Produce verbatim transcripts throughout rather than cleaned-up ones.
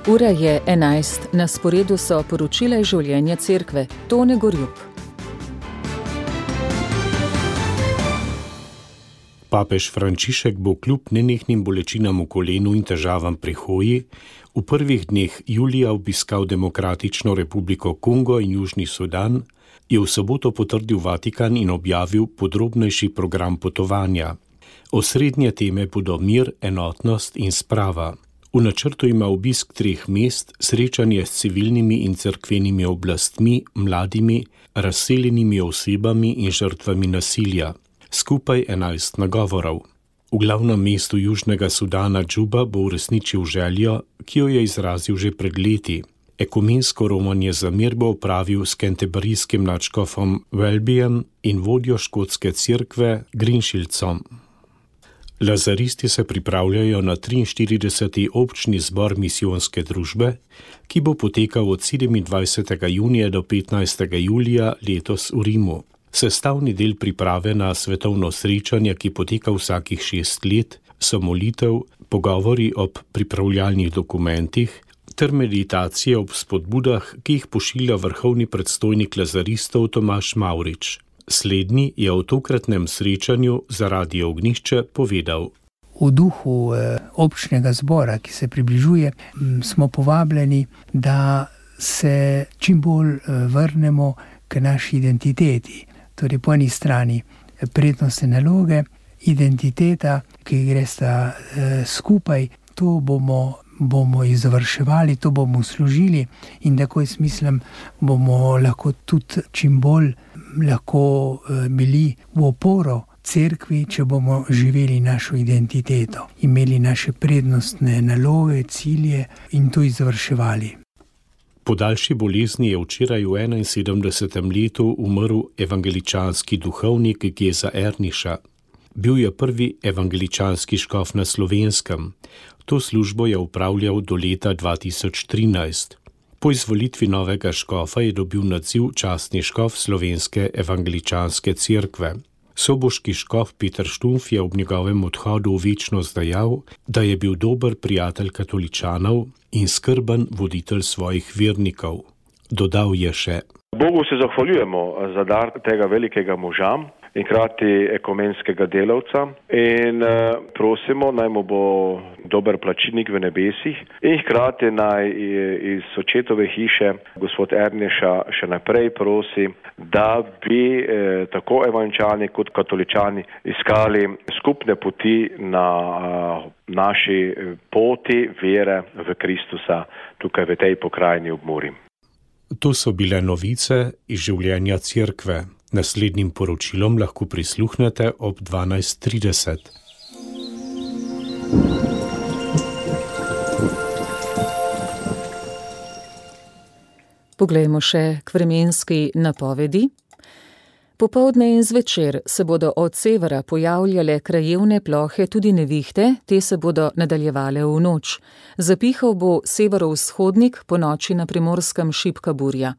Ura je enajst, na sporedu so poročila iz življenja cerkve. Tone Gorjup. Papež Frančišek bo kljub nenehnim bolečinam v kolenu in težavam pri hoji v prvih dneh julija obiskal Demokratično republiko Kongo in Južni Sudan, je v soboto potrdil Vatikan in objavil podrobnejši program potovanja. Osrednje teme bodo mir, enotnost in sprava. V načrtu ima obisk treh mest, srečanje s civilnimi in cerkvenimi oblastmi, mladimi, razseljenimi osebami in žrtvami nasilja. Skupaj enajst nagovorov. V glavnem mestu Južnega Sudana Džuba bo uresničil željo, ki jo je izrazil že pred leti. Ekumensko romanje za mir bo opravil s kentebarijskim nadškofom Welbyjem in vodjo škotske cerkve Greenshieldsom. Lazaristi se pripravljajo na triinštirideseti občni zbor misijonske družbe, ki bo potekal od sedemindvajsetega junija do petnajstega julija letos v Rimu. Sestavni del priprave na svetovno srečanje, ki poteka vsakih šest let, so molitev, pogovori ob pripravljalnih dokumentih ter meditacije ob spodbudah, ki jih pošilja vrhovni predstojnik lazaristov Tomaž Mavrič. Slednji je o tokratnem srečanju za Radio Ognjišče povedal. V duhu občnega zbora, ki se približuje, smo povabljeni, da se čim bolj vrnemo k naši identiteti. Torej po eni strani prednostne naloge, identiteta, ki gre sta skupaj, to bomo, bomo izvrševali, to bomo služili in tako jaz mislim, bomo lahko tudi čim bolj lahko bili v oporo cerkvi, če bomo živeli našo identiteto, imeli naše prednostne naloge, cilje in to izvrševali. Po daljši bolezni je včeraj v enainsedemdesetem letu umrl evangeličanski duhovnik Geza Erniša. Bil je prvi evangeličanski škof na Slovenskem. To službo je upravljal do leta dva tisoč trinajst. Po izvolitvi novega škofa je dobil naziv častni škof Slovenske evangeličanske cerkve. Soboški škof Peter Štumf je ob njegovem odhodu v večnost dejal, da je bil dober prijatelj katoličanov in skrben voditelj svojih vernikov. Dodal je še: Bogu se zahvaljujemo za dar tega velikega moža in krati ekumenskega delavca in prosimo, naj mu bo dober plačilnik v nebesih in hkrati naj iz očetove hiše gospod Erniša še naprej prosi, da bi eh, tako evangeličani kot katoličani iskali skupne poti na eh, naši poti vere v Kristusa tukaj v tej pokrajini ob Muri. To so bile novice iz življenja cerkve. Naslednjim poročilom lahko prisluhnete ob dvanajst trideset. Poglejmo še k vremenski napovedi. Popoldne in zvečer se bodo od severa pojavljale krajevne plohe, tudi nevihte, te se bodo nadaljevale v noč. Zapihal bo severovzhodnik, po noči na Primorskem šibka burja.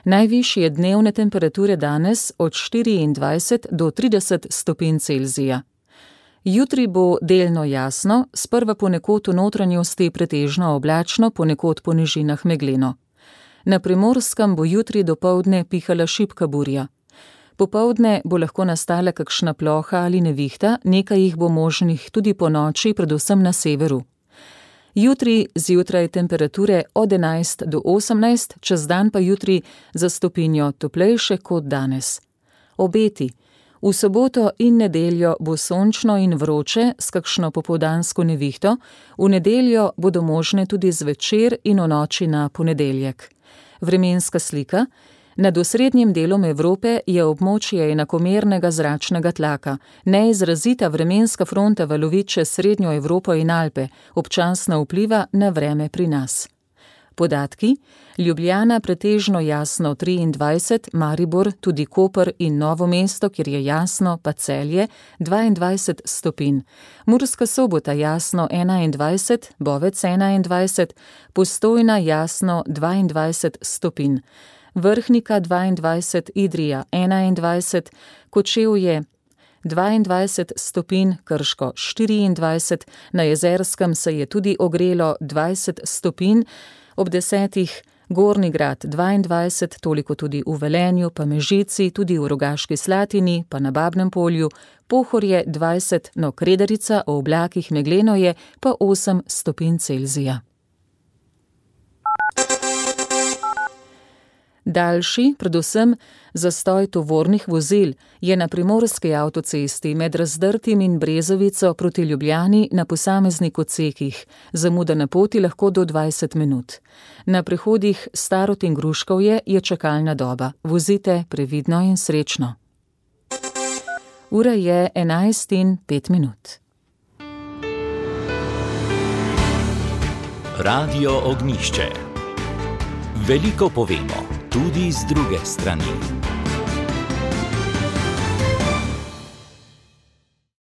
Najvišje dnevne temperature danes od štiriindvajset do trideset stopinj Celzija. Jutri bo delno jasno, sprva ponekod v notranjosti pretežno oblačno, ponekod po nižinah megleno. Na Primorskem bo jutri dopoldne pihala šibka burja. Popoldne bo lahko nastala kakšna ploha ali nevihta, nekaj jih bo možnih tudi po noči, predvsem na severu. Jutri zjutraj temperature od enajst do osemnajst, čez dan pa jutri za stopinjo toplejše kot danes. Obeti. V soboto in nedeljo bo sončno in vroče s kakšno popoldansko nevihto, v nedeljo bodo možne tudi zvečer in v noči na ponedeljek. Vremenska slika. Nad osrednjim delom Evrope je območje enakomernega zračnega tlaka. Neizrazita vremenska fronta valovi čez srednjo Evropo in Alpe, občasno vpliva na vreme pri nas. Podatki: Ljubljana pretežno jasno triindvajset, Maribor, tudi Koper in Novo mesto, kjer je jasno, pa Celje, dvaindvajset stopinj. Murska Sobota jasno enaindvajset, Bovec enaindvajset, Postojna jasno dvaindvajset stopinj. Vrhnika dvaindvajset, Idrija enaindvajset, Kočevje dvaindvajset stopinj, Krško štiriindvajset, na Jezerskem se je tudi ogrelo dvajset stopinj, ob desetih Gornji Grad dvaindvajset, toliko tudi v Velenju, pa Mežici, tudi v Rogaški Slatini, pa na Babnem Polju, Pohorje dvajset, no Kredarica, o oblakih megleno je, pa osem stopinj Celzija. Daljši, predvsem zastoj tovornih vozil, je na primorski avtocesti med Razdrtim in Brezovico proti Ljubljani na posameznih odsekih. Zamuda na poti lahko do dvajset minut. Na prehodih Starod in Gruškovje je čakalna doba. Vozite previdno in srečno. Ura je enajst in pet minut. Radio Ognjišče. Veliko povemo, tudi z druge strani.